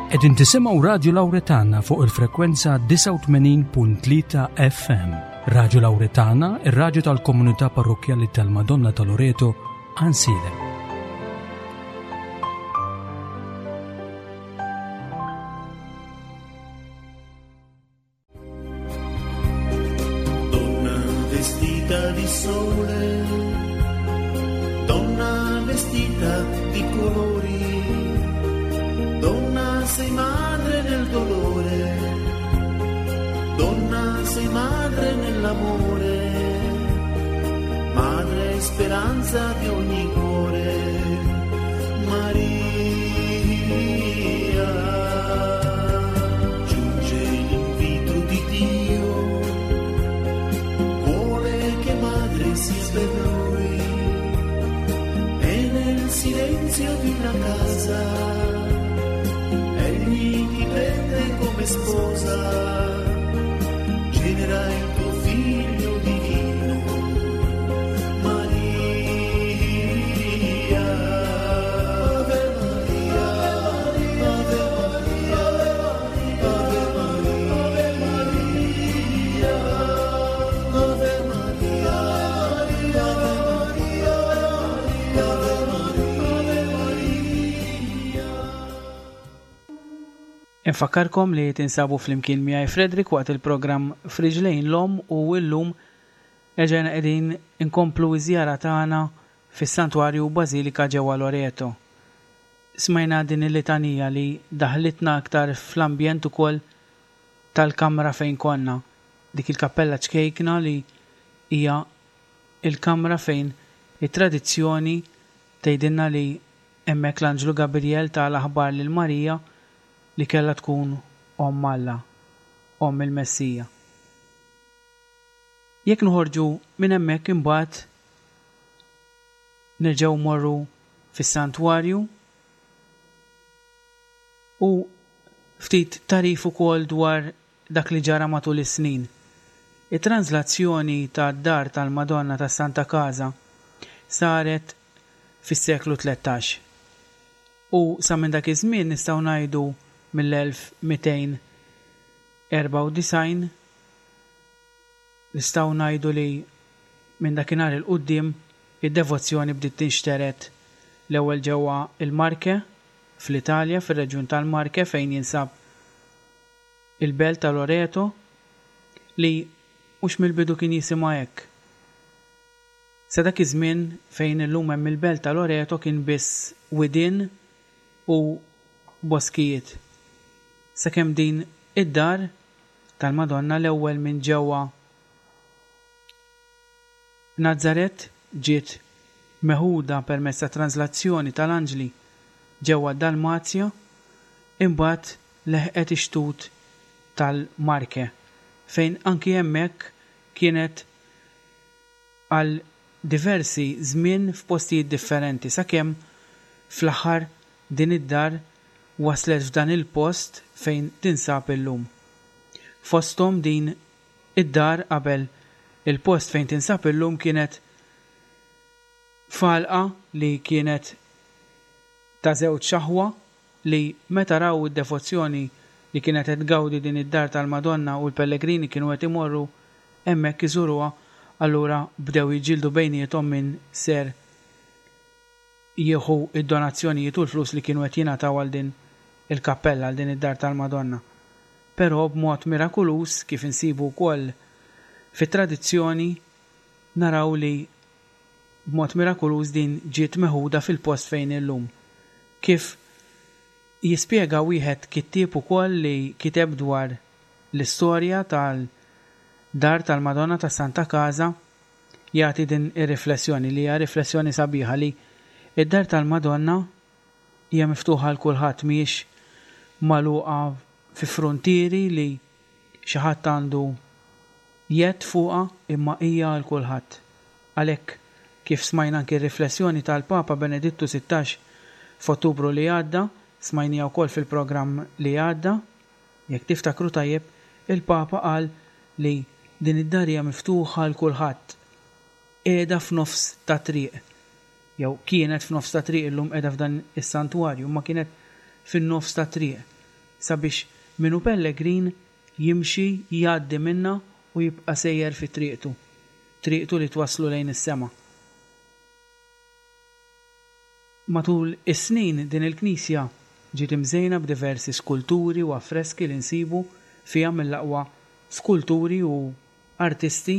Qegħdin tisimgħu Radju Lawretana fuq il-frekwenza 89.3 FM. Radju Lawretana, ir-radju tal-komunità parrokkjali tal-Madonna ta' Loreto, Ansiedem. Donna vestita di sole, donna vestita di colori, donna sei madre nel dolore, donna sei madre nell'amore, madre speranza di ogni cuore, Maria. Giunge l'invito di Dio, vuole che madre sia per lui e nel silenzio di una casa egli ti prende come sposa, genera il tuo figlio divino, Maria. Ave Maria, Ave Maria, Ave Maria, Ave Maria, Ave Maria, Ave Maria. Infakkarkom li tinsabu flimkien miegħi Frederick waqt il-programm Friġlejn l-Omm u llum erġajna qegħdin inkomplu ż-żjara tagħna fis-Santwarju Bażilika ġewwa Loreto. Smajna din il-litanija li daħlitna aktar fl-ambjent ukoll tal-kamra fejn konna, dik il-kappella ċkejkna li hija l-kamra fejn it-tradizzjoni tgħidilna li hemmhekk l-Anġlu Gabriel ta l-aħbar lil Marija li kellha tkun Omm Alla, Omm il-Messija. Jekk noħorġu minn hemmhekk imbagħad nerġgħu mmorru fis-santwarju u ftit tagħrif ukoll dwar dak li ġara matul is-snin. It-tranżlazzjoni tad-dar tal-Madonna tas-Santa Casa saret fis-seklu 13. U sa minn dak iż-żmien nistgħu ngħidu mill-1294 nistgħu ngħidu li minn dakinhar 'il quddiem id-devozzjoni bdiet tinxtered l-ewwel ġewwa l-Marche fl-Italja fir-reġjun tal-Marche fejn jinsab il-belt ta' Loreto li mhux mill-bidu kien jisimha hekk. Sa dak iż-żmien fejn illum hemm il-belt ta' Loreto kien biss widien u boskijiet. Sakemm din id-dar tal-Madonna l-ewwel minn ġewwa Nazaret ġiet meħuda permezz ta' translazzjoni tal-anġli ġewwa d-Dalmazja, imbagħad leħqet ix-xtut tal-Marche fejn anki hemmhekk kienet għal diversi żmien f'postijiet differenti sakemm fl-aħħar din id-dar waslet f'dan il-post fejn tinsab illum. Fosthom din id-dar qabel il-post fejn tinsab illum kienet f'għalqa li kienet ta' żewġ aħwa li meta raw id-devozzjoni li kienet qed tgawdi din id-dar tal-Madonna u l-pellegrini kienu qed imorru hemmhekk iżuruha, allura bdew jiġġieldu bejniethom min ser jieħu d-donazzjonijiet u l-flus li kienu qed jingħataw għal din il-kappella, għal din id-dar tal-Madonna. Però b'mod mirakuluż, kif insibu wkoll fit-tradizzjoni, naraw li b'mod mirakuluż din ġiet meħuda fil-post fejn hi llum. Kif jispjega wieħed kittieb ukoll li kiteb dwar l-istorja tal-Dar tal-Madonna ta' Santa Casa jagħti din ir-riflessjoni li hija riflessjoni sabiħa li d-Dar tal-Madonna hija miftuħa għal kulħadd mhijiex magħluqa fi fruntieri li xi ħadd għandu jedd fuqha imma hija għal kulħadd. Għalhekk, kif smajna anki r-riflessjoni tal-Papa Benedittu 16 f'Ottubru li għadda, smajniha wkoll fil-programm li għadda, jekk tiftakru tajjeb, il-Papa qal li din id-dar hija miftuħa għal kulħadd. Qiegħda f'nofs ta' triq. Jew kienet f'nofs ta' triq, illum qiegħda f'dan is-santwarju, imma kienet fin-nofs ta' triq. sabiex min hu pellegrin jimxi jgħaddi minnha u jibqa' sejjer fi triqtu, triqtu li twasslu lejn is-sema. Matul is-snin din il-knisja ġiet imżejna b'diversi skulturi u affreski li nsibu fiha mill-aqwa skulturi u artisti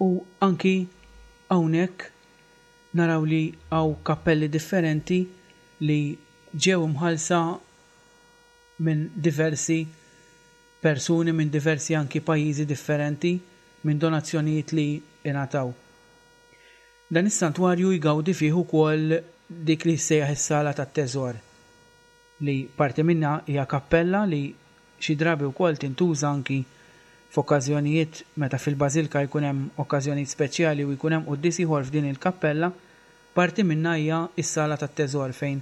u anki hawnhekk naraw li hawn kappelli differenti li ġew imħallsa minn diversi persuni minn diversi anki pajjiżi differenti minn donazzjonijiet li ingħataw. Dan is-santwarju jgawdi fih ukoll dik li jissejjaħ is-Sala tat-Teżor, li parti minnha hija kappella li xi drabi wkoll tintuża anki f'okkażjonijiet meta fil-bażilka jkun hemm okkażjonijiet speċjali u jkun hemm quddies ieħor f'din il-kappella, parti minnha hija s-Sala tat-Teżor fejn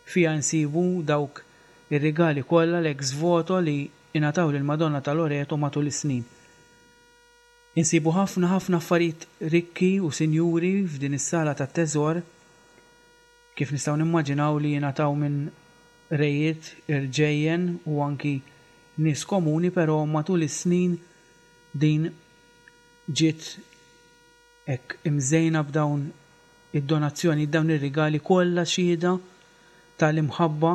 fiha nsibu dawk ir-rigali kollha l-ex voto li ingħataw lill-Madonna ta' Loreto matul is-snin. Insibu ħafna ħafna affarijiet rikki u sinjuri f'din is-sala tat-teżor, kif nistgħu nimmaġinaw li jingħataw minn rejiet, irġejjen u anki nies komuni però matul is-snin din ġiet hekk imżejna b'dawn id-donazzjonijiet, dawn ir-rigali kollha xhieda tal-imħabba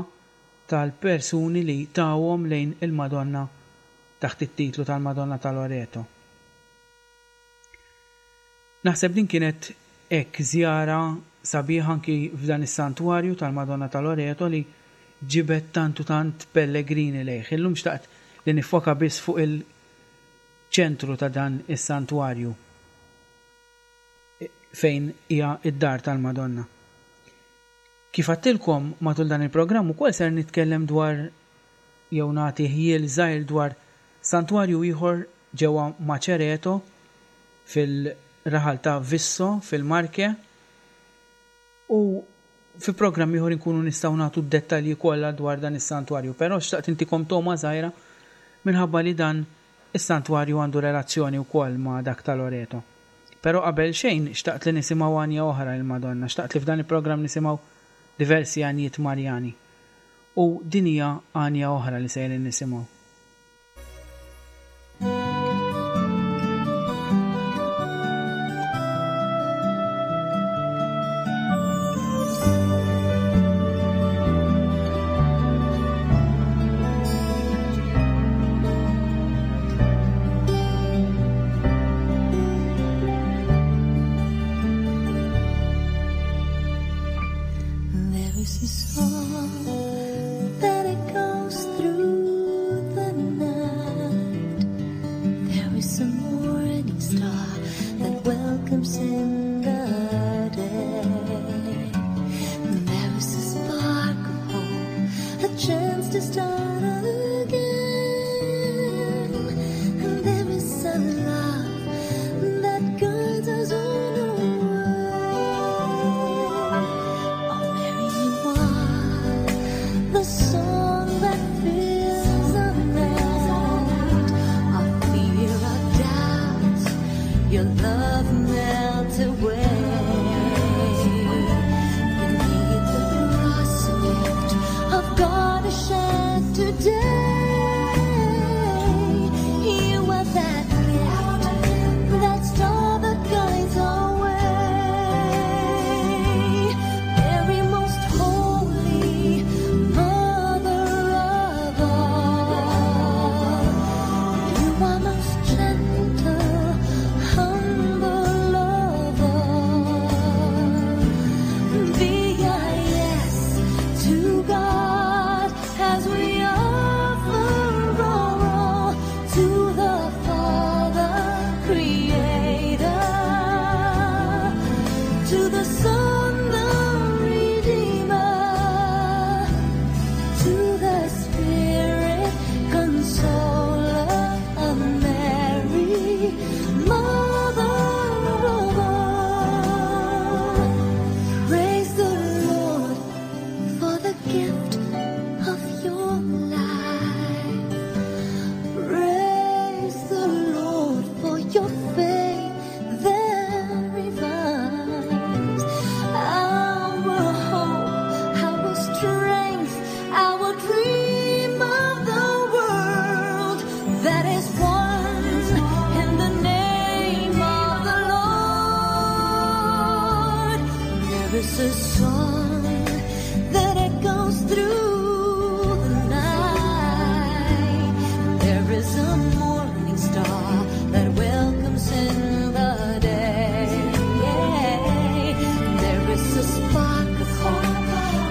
tal-persuni li tawhom lejn il-Madonna taħt it-titlu tal-Madonna ta' Loreto. Naħseb din kienet hekk żjara sabiħa anki f'dan is-santwarju tal-Madonna ta' Loreto li ġibed tant u tant pellegrini lejh. Illum xtaqt li niffoka biss fuq il-ċentru ta' dan is-santwarju fejn hija d-dar tal-Madonna. Kif għedtilkom matul dan il-programm ukoll ser nitkellem dwar jew nagħti ħjiel żgħir dwar santwarju ieħor ġewwa Macereto fil-raħal ta' Visso fil-Marche u fi programm ieħor inkunu nistgħu nagħtu d-dettalji kollha dwar dan is-santwarju. Però xtaqt intikom togħma żgħira minħabba li dan is-santwarju għandu relazzjoni wkoll ma' dak ta' Loreto. Però qabel xejn xtaqt li nisimgħu għanja oħra lill-Madonna, xtaqt li f'dan il-programm nisimgħu diversi għanjiet Marjani. U din hija għanja oħra li sejrin nisimgħu. There is a song that echoes through the night. There is a morning star that welcomes in the day. There is a spark of hope, a chance to start again. And there is a love that guides us on our way. Oh, Mary, you are the song that fills the night. Our fear, our doubts, your love melts away. Beneath the cross, a gift of God is shed today. You are that gift, that star that guides our way. Mary, most holy Mother. There is a song that echoes through the night. There is a morning star that welcomes in the day. There is a spark of hope,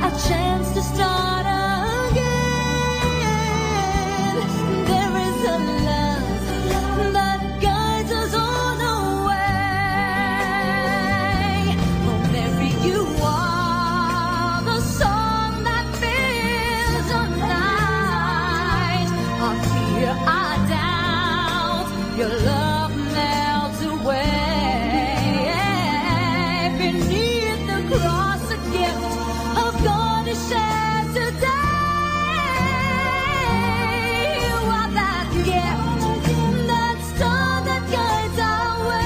a chance to start again. There is a love that guides us on our way. Oh, Mary, you are the song that fills the night. Our fear, our doubt, your love melts away. Beneath the cross, a gift of God is shared today. You are that gift, that star that guides our way.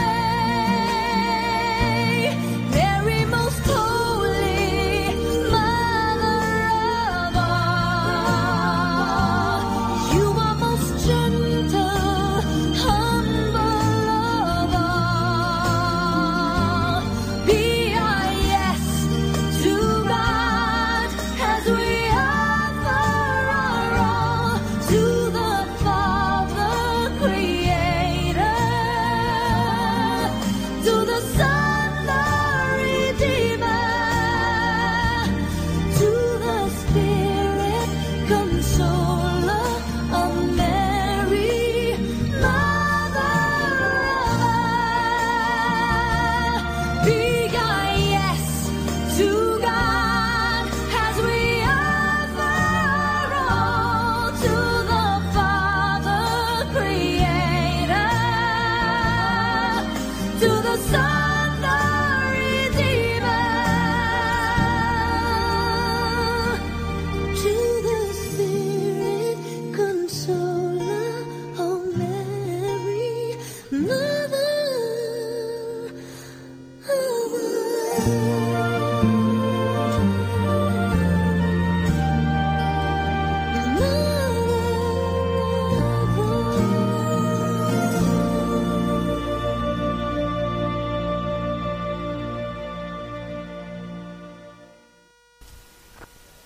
Mary, most holy, Mother of all, you are most gentle, humble of all. Be our yes to God as we offer our all to the Father Creator, to the Son, the Redeemer, to the Spirit Consoler of Mary, Mother of all. Be our yes to God as we offer our all to the Father Creator, to the Son, the Redeemer, to the Spirit Consoler, oh Mary, Mother of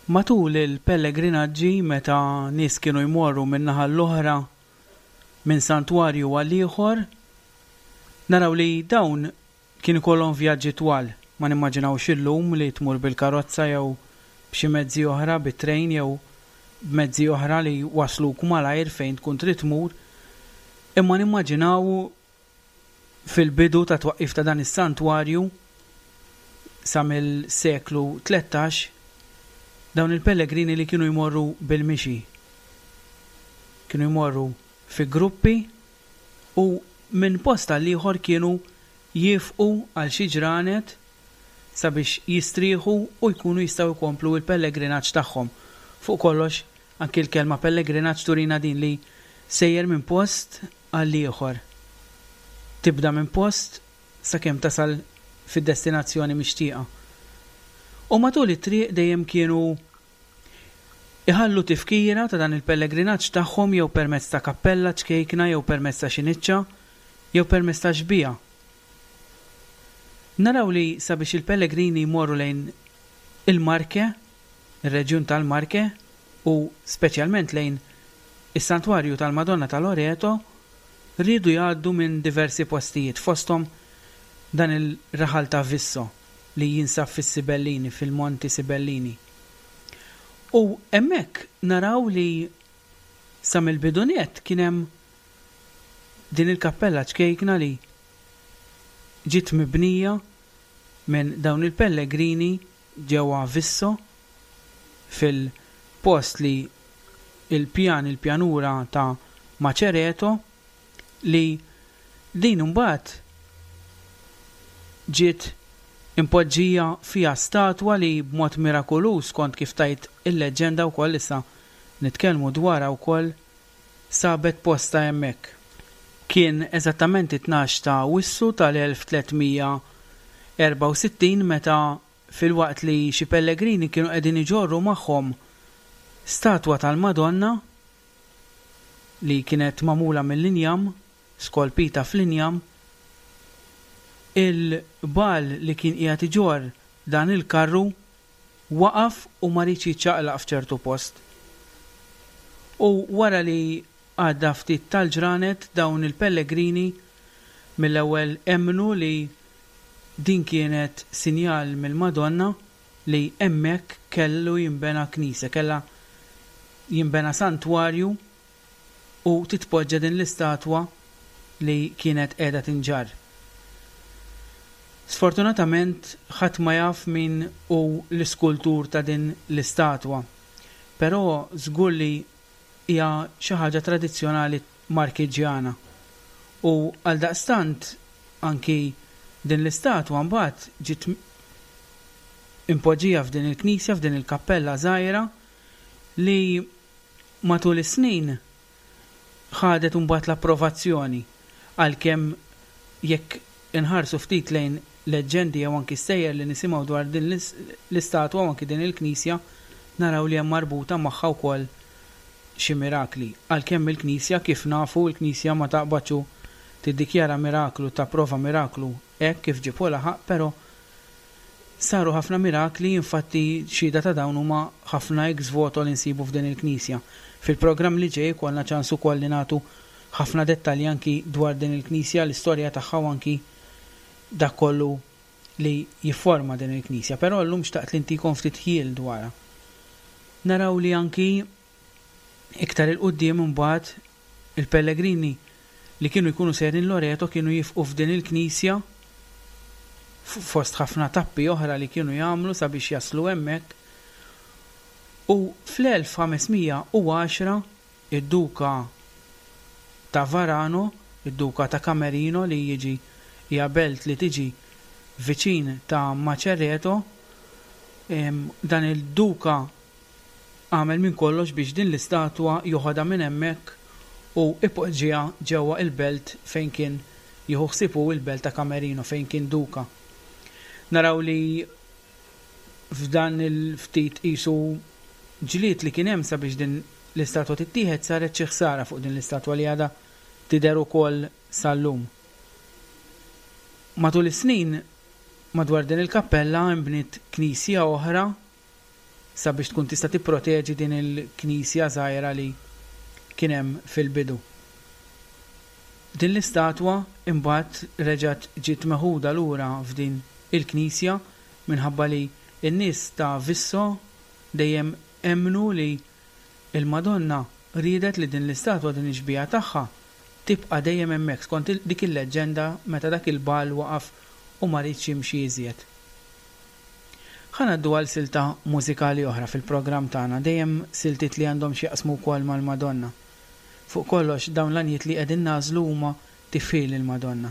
Matul il-pellegrinaġġi meta nies kienu jmorru minn naħa l-oħra minn santwarju għal ieħor, naraw li dawn kien ikollhom vjaġġi twal. Ma nimmaġinawx illum li tmur bil-karozza jew b'xi mezzi oħra, bit-trejn jew b'mezzi oħra li wasluk malajr fejn tkun trid tmur. Imma nimmaġinaw fil-bidu ta' twaqqif ta' dan is-santwarju sa mill-seklu 13 dawn il-pellegrini li kienu jmorru bil-mixi. Kienu jmorru fi gruppi u minn post għal ieħor kienu jifqu għal xi ġranet sabiex jistrieħu u jkunu jistgħu jkomplu l-pellegrinaġġ tagħhom. Fuq kollox, anki l-kelma pellegrinaġġ turina din li sejjer minn post għal ieħor. Tibda minn post sakemm tasal fid-destinazzjoni mixtieqa. U matul it-triq dejjem kienu iħallu tifkira ta' dan il-pellegrinaġġ tagħhom jew permezz ta' kappella ċkejkna jew permezz ta' xi niċċa jew permezz ta' xbieha. Naraw li sabiex il-pellegrini jmorru lejn il-Marche, ir-reġjun tal-Marche, u speċjalment lejn is-santwarju tal-Madonna ta' Loreto, riedu jgħaddu minn diversi postijiet, fosthom dan il-raħal ta' Visso li jinsab fis-Sibellini, fil-Monti Sibellini. U hemmhekk naraw li sa mill-bidu nett kien hemm din il-kappella ċkejkna li ġiet mibnija minn dawn il-pellegrini ġewwa Visso fil-post li il-pjan il-pjanura ta' Macereto li din imbagħad ġiet impoġġija fiha statwa li b'mod mirakoluż skont kif tgħid il-leġġenda wkoll issa nitkellmu dwarha wkoll sabet postha hemmhekk. Kien eżattament it-tnax ta' Awwissu tal-1364 meta filwaqt li xi pellegrini kienu qegħdin iġorru magħhom statwa tal-Madonna li kienet magħmula mill-injam, skolpita fl-injam, il-bagħal li kien qiegħed iġorr. dan il-karru waqaf u ma riedx jiċċaqlaq f'ċertu post. U wara li għadda ftit tal-ġranet dawn il-pellegrini mill-ewwel emmnu li din kienet sinjal mill-Madonna li hemmhekk kellu jinbena knisja, kellha jinbena santwarju u titpoġġa din l-istatwa li kienet qiegħda tinġarr. Sfortunatament ħadd ma jaf min hu l-iskultur ta' din l-istatwa, però żgur li hija xi ħaġa tradizzjonali Markiġġjana u għaldaqstant anki din l-istatwa mbagħad ġiet impoġġija f'din il-knisja, f'din il-kappella żgħira li matul is-snin ħadet imbagħad l-approvazzjoni għalkemm jekk inħarsu ftit lejn leġġendi jew anki stejjer li nisimgħu dwar din l-istatwa u anki din il-knisja naraw li hemm marbuta magħha wkoll xi mirakli. Għalkemm il-Knisja, kif nafu, il-Knisja ma taqbadx u tiddikjara miraklu, tapprova miraklu hekk kif ġieb u laħaq, però saru ħafna mirakli, infatti xhieda ta' dawn huma ħafna ex voto li nsibu f'din il-Knisja. Fil-programm li ġej ikollna ċans ukoll li nagħtu ħafna dettalji anki dwar din il-Knisja, l-istorja tagħha u anki dak kollu li jifforma din il-Knisja, però llum xtaqt li ntikom ftit ħjiel dwarha. Naraw li anki iktar 'il quddiem imbagħad il-pellegrini li kienu jkunu sejrin Loreto kienu jifqu f'din il-knisja fost ħafna tappi oħra li kienu jagħmlu sabiex jaslu hemmhekk u fl-1510 id-Duka ta' Varano, id-Duka ta' Camerino li jiġi hija belt li tiġi viċin ta' Macerreto, dan il-Duka għamel minn kollox biex din l-istatwa joħodha minn hemmhekk u ipoġġiha ġewwa il-belt fejn kien jieħu ħsieb hu il-belt ta' Camerino fejn kien Duka. Naraw li f'dan il-ftit qisu ġlied li kien hemm sabiex din l-istatwa tittieħed saret xi ħsara fuq din l-istatwa li għadha tidher ukoll sal-lum. Matul is-snin madwar din il-kappella nbniet knisja oħra sabiex tkun tista' tipproteġi din il-knisja żgħira li kien hemm fil-bidu. Din l-istatwa imbagħad reġgħet ġiet meħuda lura f'din il-knisja minħabba li n-nies ta' Visso dejjem emmnu li l-Madonna riedet li din l-istatwa, din ix-xbieha tagħha, tibqa' dejjem hemmhekk skont dik il-leġġenda meta dak il-bagħal waqaf u ma riedx jimxi iżjed. Ħa ngħaddu għal silta mużikali oħra fil-programm tagħna, dejjem siltiet li għandhom x'jaqsmu wkoll mal-Madonna. Fuq kollox, dawn l-għanjiet li qegħdin nagħżlu huma tifħir lill-Madonna.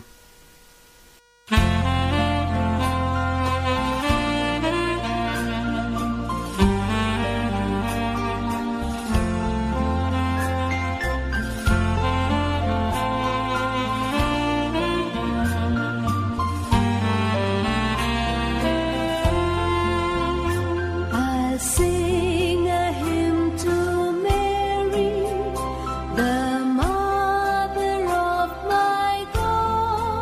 I'll sing a hymn to Mary, the mother of my God.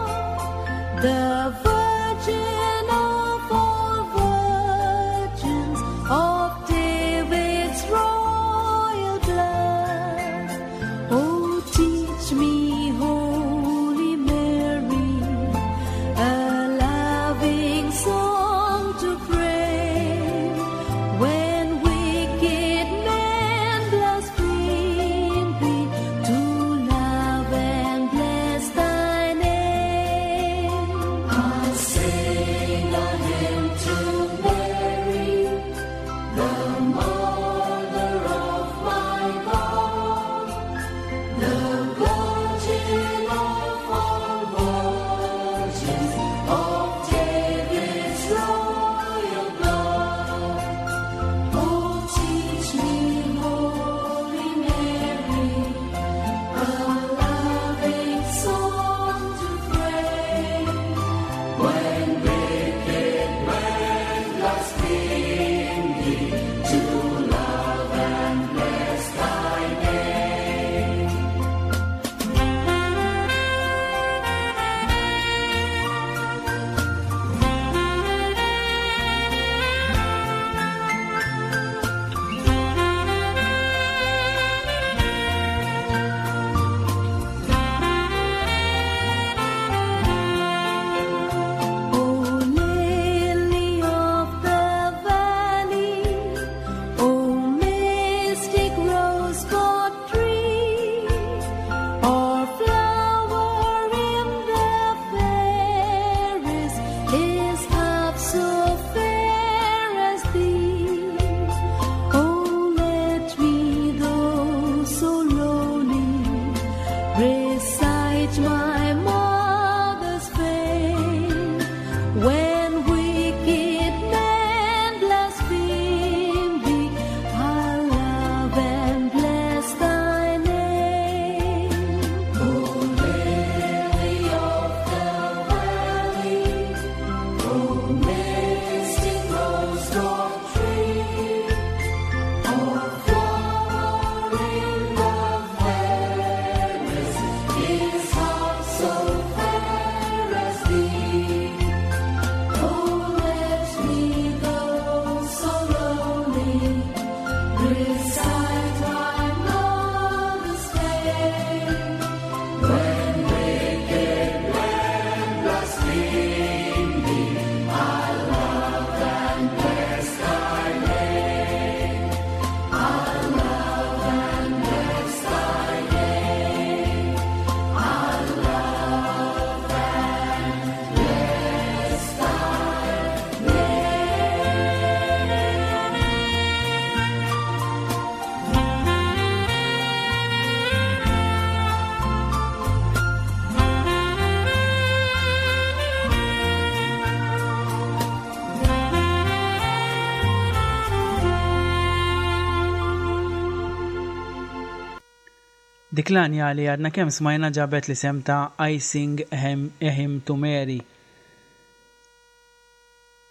Dik l-għanja li għadna kemm smajna ġabet l-isem ta' I Sing a Hymn to Mary.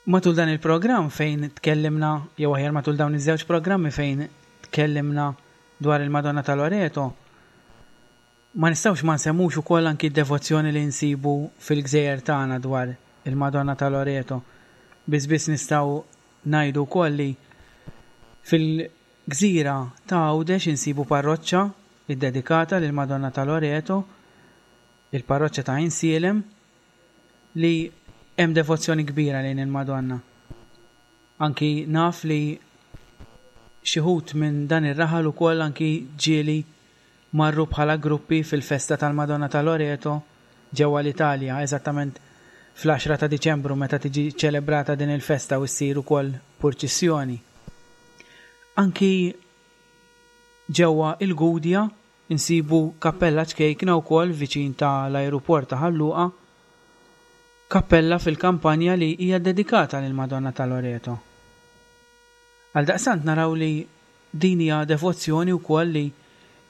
Matul dan il-programm fejn tkellimna, jew aħjar matul dawn iż-żewġ programmi fejn tkellimna dwar il-Madonna ta' Loreto, ma nistgħux ma nsemmux ukoll anki d-devozzjoni li nsibu fil-gżejjer tagħna dwar il-Madonna ta' Loreto. Biss biss nistgħu ngħidu wkoll li fil-gżira ta' Għawdex insibu parroċċa ddedikata lill-Madonna ta' Loreto, il-parroċċa ta' Għajnsielem, li hemm devozzjoni kbira lejn il-Madonna. Anki naf li xi wħud minn dan ir-raħal ukoll anki ġieli marru bħala gruppi fil-festa tal-Madonna ta' Loreto ġewwa l-Italja, eżattament fl-għaxra ta' Diċembru meta tiġi ċċelebrata din il-festa u ssir ukoll purċissjoni. Anki ġewwa il-Gudja nsibu kappella ċkejkna wkoll viċin ta' l-ajruport ta' Ħal Luqa, kappella fil-kampanja li hija ddedikata lill-Madonna ta' Loreto. Għaldaqstant naraw li din hija devozzjoni wkoll li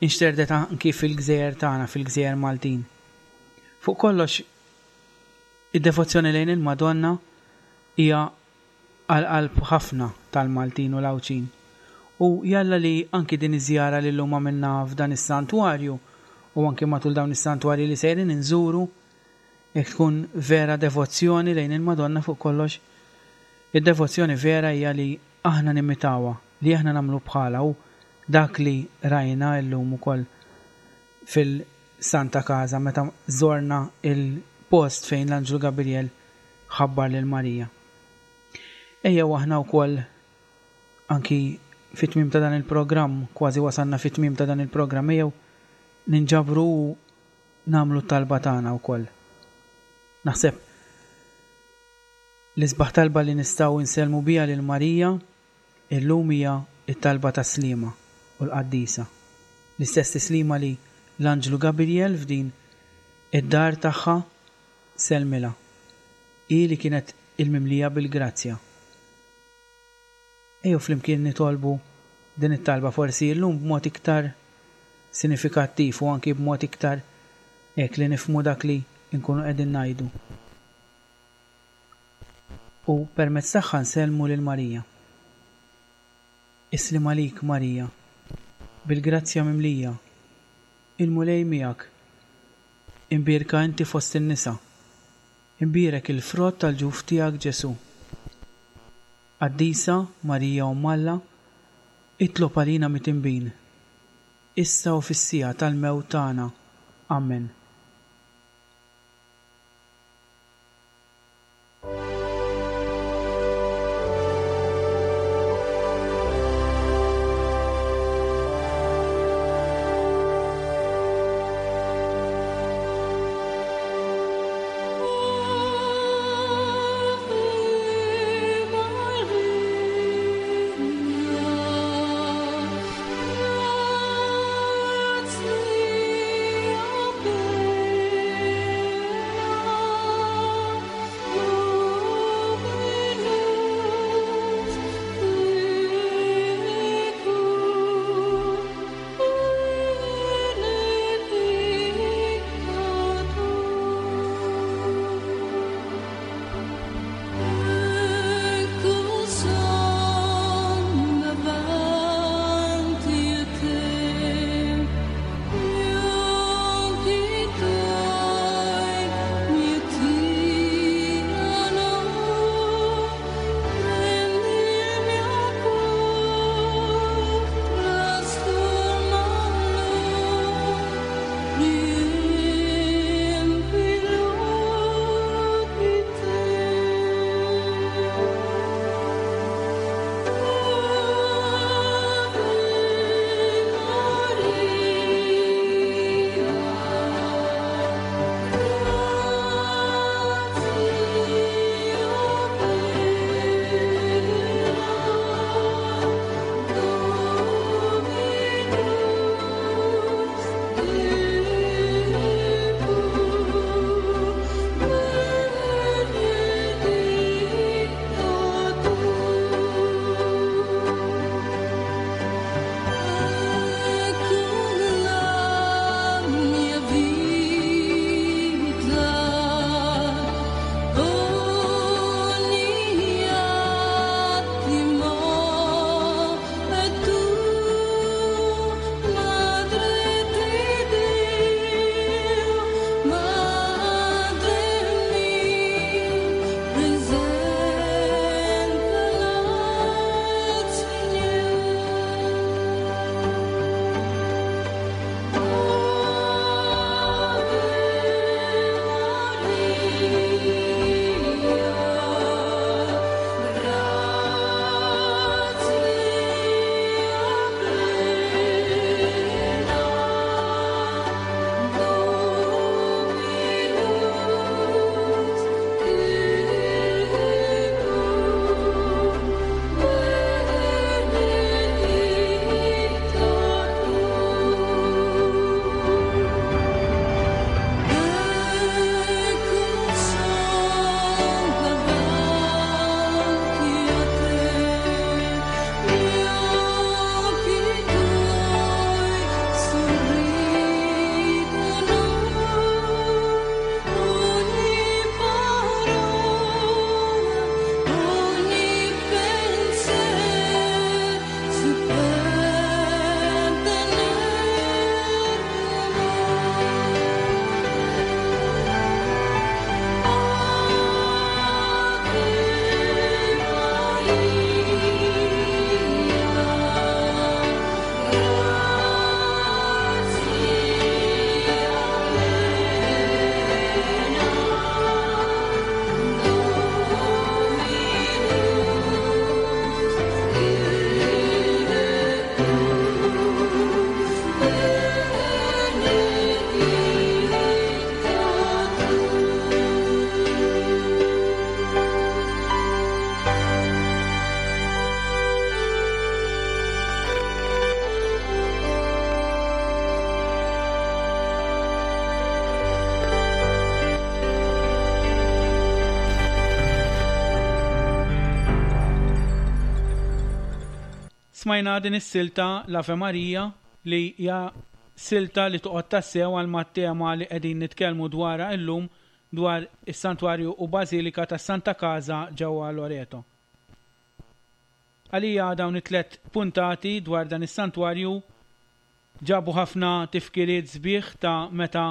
nxterdet anki fil-gżejjer tagħna, fil-gżejjer Maltin. Fuq kollox, id-devozzjoni lejn il-Madonna hija għal qalb ħafna tal-Maltin u l-Għawdxin. U jalla li anki din iż-żjara li llum għamilna f'dan is-santwarju u anki matul dawn is-santwarji li sejrin inżuru, jekk tkun vera devozzjoni lejn il-Madonna fuq kollox, id-devozzjoni vera hija li aħna nimitawha, li aħna nagħmlu bħalha u dak li rajna llum ukoll fil-Santa Casa meta żorna l-post fejn l-Anġlu Gabriel ħabbar lil Marija. Ejjew aħna wkoll anki fit-tmiem ta' dan il-programm, kważi wasalna fit-tmiem ta' dan il-programm, ejjew ninġabru u nagħmlu t-talba tagħna wkoll. Naħseb l-isbaħ talba li nistgħu nsellmu biha lil Marija illum hija t-talba tas-Sliema u l-Qaddisa. L-istess tislima li l-Anġlu Gabriel f'din id-dar tagħha sellmilha, hi li kienet il-mimlija bil-grazzja. Ejjew flimkien nitolbu din it-talba forsi illum b'mod iktar sinifikattiv u anki b'mod iktar hekk li nifhmu dak li nkunu qegħdin ngħidu. U permezz tagħha nsellmu lil Marija. Is-sliem għalik, Marija, bil-grazzja mimlija, il-Mulej miegħek. Imbierka inti fost in-nisa. Imbierek il-frott tal-ġuf tiegħek Ġesù. Qaddisa Marija Omm Alla, itlob għalina mitinbin, issa u fis-siegħa tal-mewt tagħna. Ammen. Ave Maria, Smajna din is-silta l-Ave Maria li hija silta li toqgħod tassew għal mat-tema li qegħdin nitkellmu dwarha illum dwar is-Santwarju u Bażilika tas-Santa Casa ġewwa Loreto. Għalija dawn it-tlett puntati dwar dan is-santwarju ġabu ħafna tifkiriet sbieħ ta' meta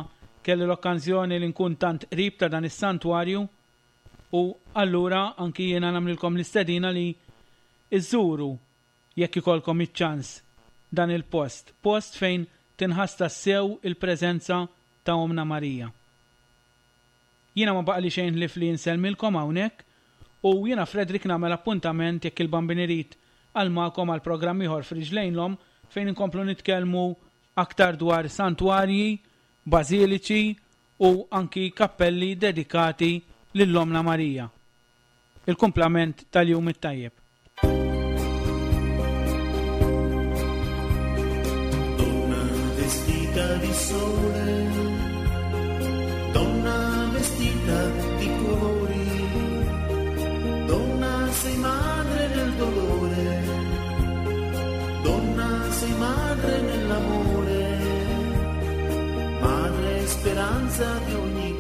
kelli l-okkanżjoni li nkun tant qrib ta' dan is-santwarju u allura anki jiena nagħmlilkom l-istedina li iżżuru jekk ikollkom iċ-ċans dan il-post, post fejn tinħass tassew il-preżenza ta' Ommna Marija. Jiena ma baqali xejn ħlief li insellmilkom hawnhekk u jiena Frederick nagħmel appuntament jekk il-Bambin irid għal magħkom għal programm ieħor f'Riġlejn l-Omm fejn inkomplu nitkellmu aktar dwar santwarji, bażiliċi u anki kappelli dedikati lil Ommna Marija. Il-kumplament tal-jum it-tajjeb. Donna vestita di sole, donna vestita di colori, donna sei madre nel dolore, donna sei madre nell'amore, madre speranza di ogni.